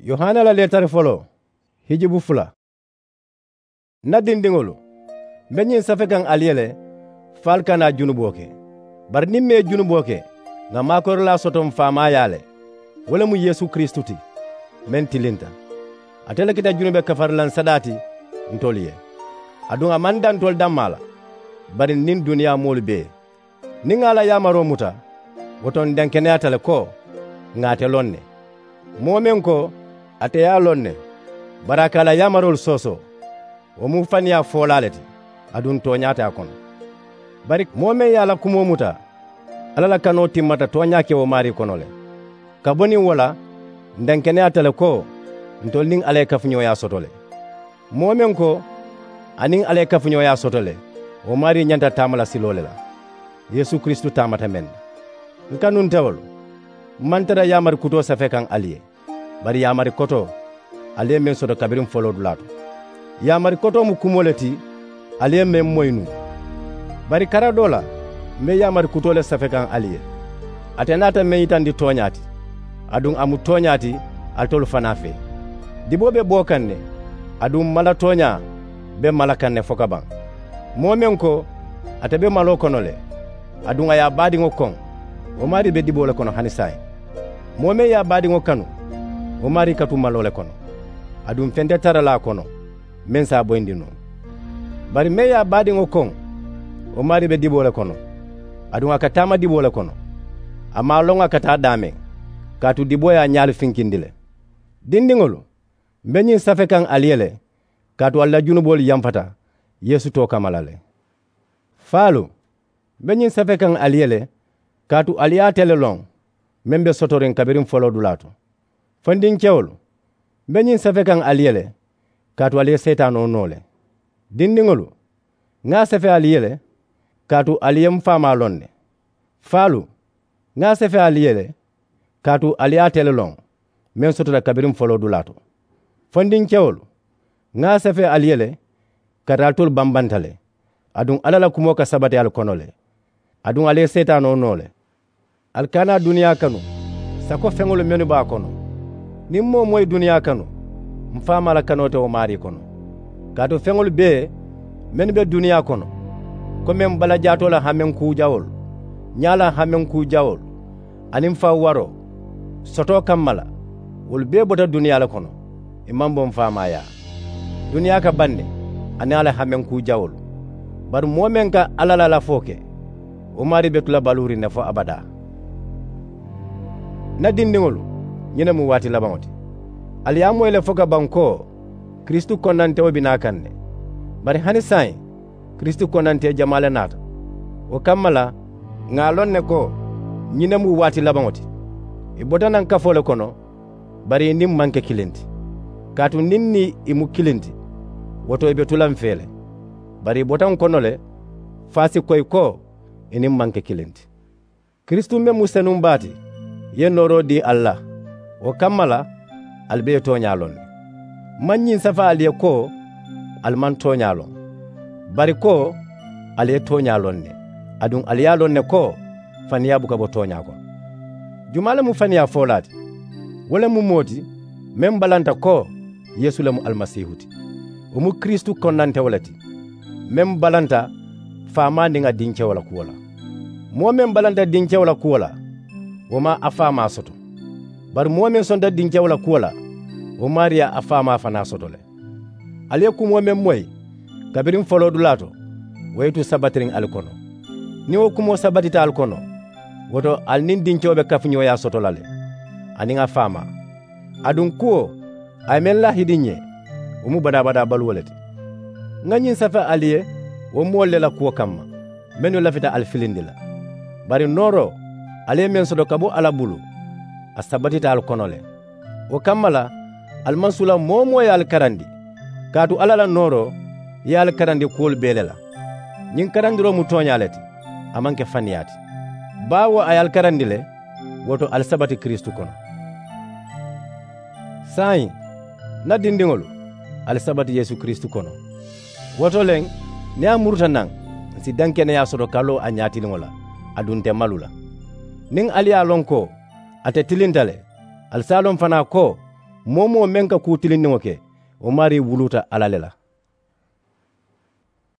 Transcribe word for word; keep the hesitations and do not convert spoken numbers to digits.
Yohana la leetari foloo. Hijubu fula. N na dindiŋolu, m̀ be ñiŋ safekaŋ ali ye le, fo ali kana junuboo ke. Bari niŋ m̀ ye junuboo ke, ŋà maakoyiralaa soto m̀ faamaayaa le. Wo le mu yeesu kiristu ti, meŋ tilinta. Ate le keta junube kafarilaŋ sadaa ti ntolu ye. Aduŋ a maŋ daŋ ntolu dammaa la, bari niŋ duniyaa moolu bee. Niŋ ŋà a la yaamaroo muta, wo to ǹ denkeneyaata le ko ŋà ate loŋ ne. Moo meŋ ko ate ye a loŋ ne, bari a ka a la yaamaroolu soosoo, wo mu faniyaa foolaa le ti. Aduŋ tooñaa te a kono. Bari moo meŋ ye a la kumoo muta, alla la kanoo timmata tooñaa ke wo maarii kono le. Ka bo niŋ wo la, ǹ denkeneyaata le ko ntolu niŋ alla ye kafuñooyaa soto le. Moo meŋ ko a niŋ alla ye kafuñooyaa soto le, wo maarii ñanta taama la siloo le la, yeesu kiristu taamata meŋ na. N kanuntewolu, m maŋ tara yaamari kutoo safekaŋ ali ye, bari yaamari kotoo, ali ye meŋ soto kabiriŋ foloodulaa to. Yaamari kotoo mu kumoo le ti, ali ye meŋ moyi nuŋ. Bari kara doo la, m be yaamari kutoo le safekaŋ ali ye. Ate naata meŋ yitandi tooñaa ti, aduŋ a mu tooñaa ti alitolu fanaa fee. Diboo be boo kaŋ ne, aduŋ mala tooñaa be mala kaŋ ne fo ka baŋ. Moo meŋ ko ate be maloo kono le, aduŋ a ye a baadiŋo koŋ, wo maarii be diboo le kono hani saayiŋ. Moo meŋ ye a baadiŋo kanu, wo maarii ka tu maloo le kono, aduŋ feŋ te tara la a kono meŋ si a boyindi noo. Bari meŋ ye a baadiŋo koŋ, wo maarii be diboo le kono, aduŋ a ka taama diboo le kono. A maŋ a loŋ a ka taa daameŋ, kaatu diboo ye a ñaalu finkindi le. Dindiŋolu, m be ñiŋ safekaŋ ali ye le, kaatu ali la junuboolu yamfata yeesu too kamma la le. Faalu, m be ñiŋ safekaŋ ali ye le, kaatu ali ye ate le loŋ, meŋ be sotoriŋ kabiriŋ foloodulaa to. Fondinkewolu, m be ñiŋ safekaŋ ali ye le, kaatu ali ye seetaanoo noo le. Dindiŋolu, ŋà a safe ali ye le, kaatu ali ye m faamaa loŋ ne. Faalu, ŋà a safe ali ye le, kaatu ali ye ate le loŋ, meŋ sotota kabiriŋ foloodulaa to. Fondinkewolu, ŋà a safe ali ye le, kaatu alitolu bambanta le, aduŋ alla la kumoo ka sabati ali kono le, aduŋ ali ye seetaanoo noo le. Ali kana duniyaa kanu sako feŋolu mennu be a kono. Niŋ moo wo moo ye duniyaa kanu, m faamaa la kanoo te wo maarii kono. Kaatu feŋolu bee mennu be duniyaa kono, komi m balajaatoo la hameŋ kuu jawoolu, ñaa la hameŋ kuu jawoolu, aniŋ faŋ waroo sotoo kamma la, wolu bee bota duniyaa le kono, ì maŋ bo m faamaayaa. Duniyaa ka baŋ ne, aniŋ a la hameŋ kuu jawoolu. Bari moo meŋ ka alla la lafoo ke, wo maarii be tu la baluuriŋ ne fo abadaa. N na dindiŋolu, ñiŋ ne mu waati labaŋo ti. Ali ye a moyi le fo ka baŋ ko kiristu konnantewo be naa kaŋ ne. Bari hani saayiŋ kiristu konnantee jamaa le naata. Wo kamma la, ŋà a loŋ ne ko ñiŋ ne mu waati labaŋo ti. Ì bota naŋ kafoo le kono, bari ì niŋ m maŋ ke kiliŋ ti. Kaatu niŋ niŋ ì mu kiliŋ ti, wo to ì be tu la m fee le. Bari ì bota n kono le, fo a si koyi ko ì niŋ m maŋ ke kiliŋ ti. Kiristu meŋ mu senuŋ baa ti, ye nooroo dii ali la. Wo kamma la, ali be ye tooñaa loŋ ne. M maŋ ñiŋ safe ali ye ko ali maŋ tooñaa loŋ, bari ko ali ye tooñaa loŋ ne, aduŋ ali ye a loŋ ne ko faniyaa buka bo tooñaa kono. Jumaa le mu faniyaa foolaa ti? Wo le mu moo ti meŋ balanta ko yeesu le mu alimasiihu ti. Wo mu kiristu konnantewo le ti, meŋ balanta faamaa niŋ a dinkewo la kuwo la. Moo meŋ balanta dinkewo la kuwo la, wo maŋ a faamaa soto. Bari moo meŋ sonta dinkewo la kuwo la, wo maarii ye a faamaa fanaa soto le. Ali ye kumoo meŋ moyi kabiriŋ foloodulaa to, wo ye tu sabatiriŋ ali kono. Niŋ wo kumoo sabatita ali kono, wo to ali niŋ dinkewo be kafuñooyaa soto la le, aniŋ a faamaa. Aduŋ kuwo a ye meŋ laahidi n ye, wo mu badaa-badaa baluwo le ti. Ŋa ñiŋ safe ali ye wo moolu le la kuwo kamma, mennu lafita ali filindi la. Bari nooroo ali ye meŋ soto ka bo alla bulu, a sabatita ali kono le. Wo kamma la, ali maŋ sula moo-wo-moo ye ali karandi, kaatu alla la nooroo ye ali karandi kuwolu bee le la. Ñiŋ karandiroo mu tooñaa le ti, a maŋ ke faniyaa ti. Baawo a ye ali karandi le, wo to ali sabati kiristu kono. Saayiŋ, n na dindiŋolu, ali sabati yeesu kiristu kono. Wo to le, niŋ a muruta naŋ, n si denkeneyaa soto ka loo a ñaatiliŋo la, aduŋ nte malu la. Niŋ ali ye a loŋ ko ate tilinta le, ali si a loŋ fanaa ko Moo-wo-moo meŋ ka kuu tilindiŋo ke, wo maarii wuluuta alla le la.